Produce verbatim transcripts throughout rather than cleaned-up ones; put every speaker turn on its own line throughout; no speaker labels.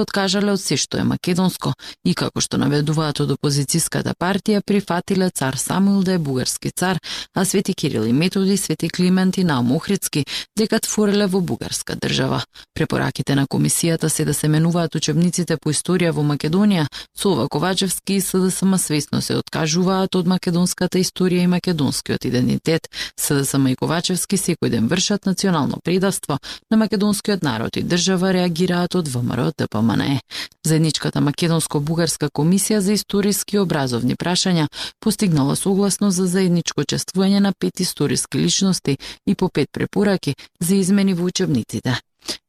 откажале од се што е македонско и како што наведуваат од опозицијската партија, прифатиле цар Самуил да е бугарски цар, а Свети Кирил и Методи, Свети Климент и Наум Охридски дека твореле во бугарска држава. Препораките на комисијата се да се менуваат учебниците по историја во Македонија, со ова Ковачевски и СДСМ свесно се откажуваат од македонската историја и македонскиот идентитет. СДСМ и Ковачевски секој ден вршат национално предавство на македонскиот народ и држава, реагираат од ВМРО Д П М Н Е. Заедничката македонско-бугарска комисија за историски и образовни прашања постигнала согласно за заедничко чествување на пет историски личности и по пет препораки за измени во учебниците.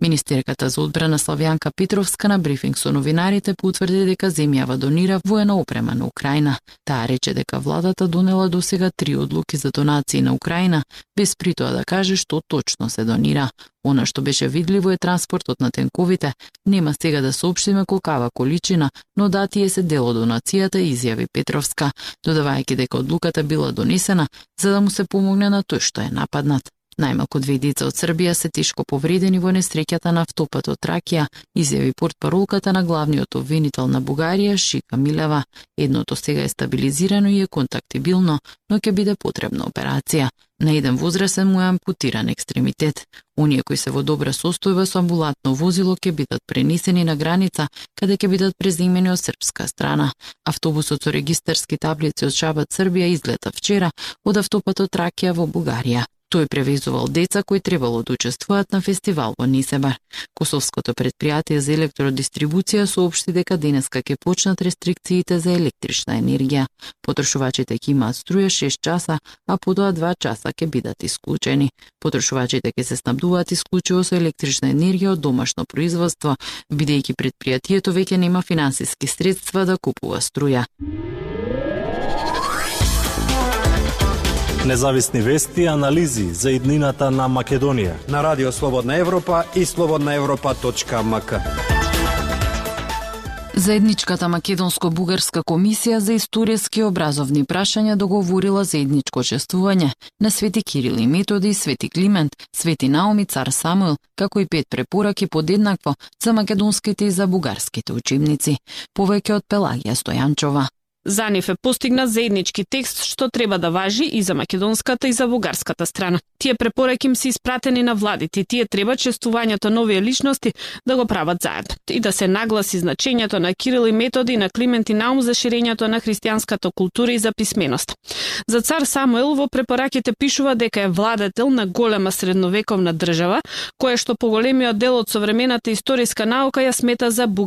Министерката за одбрана Славјанка Петровска на брифинг со новинарите потврди дека земјава донира воена опрема на Украина. Таа рече дека владата донела досега три одлуки за донации на Украина, без при тоа да каже што точно се донира. Она што беше видливо е транспортот на тенковите. Нема сега да соопштиме колкава количина, но да тие се дел од донацијата, изјави Петровска, додавајќи дека одлуката била донесена за да му се помогне на тој што е нападнат. Најмалку две деца од Србија се тешко повредени во несреќата на автопатот Тракија, изјави портпаролката на главниот обвинител на Бугарија Шика Милева. Едното сега е стабилизирано и е контактибилно, но ќе биде потребна операција. На еден возрасен му е ампутиран екстремитет. Оние кои се во добра состојба со амбулантно возило ќе бидат пренесени на граница, каде ќе бидат преземени од српска страна. Автобусот со регистарски таблици од Шабат, Србија излета вчера од автопатот Тракија во Бугарија. Тој превезувал деца кои требало да учествуваат на фестивал во Несебар. Косовското предпријатие за електродистрибуција соопшти дека денеска ќе почнат рестрикциите за електрична енергија. Потрошувачите ќе имаат струја шест часа, а потоа два часа ќе бидат исклучени. Потрошувачите ќе се снабдуваат исклучиво со електрична енергија од домашно производство, бидејќи предпријатието веќе нема финансиски средства да купува струја.
Независни вести и анализи за иднината на Македонија
на Радио Слободна Европа и слободна европа точка ем ка.
Заедничката македонско-бугарска комисија за историски и образовни прашања договорила заедничко чествување на Свети Кирил и Методи, Свети Климент, Свети Наум и цар Самуил, како и пет препораки подеднакво за македонските и за бугарските учебници. Повеќе од Пелагија Стојанчова.
За нив е постигнат заеднички текст што треба да важи и за македонската и за бугарската страна. Тие препораки им се испратени на владите и тие треба чествувањето на овие личности да го прават заедно и да се нагласи значењето на Кирил и Методи и на Климент и Наум за ширењето на христијанската култура и за писменост. За цар Самуил во препораките пишува дека е владетел на голема средновековна држава, која што поголемиот дел од современата историска наука ја смета за бугарска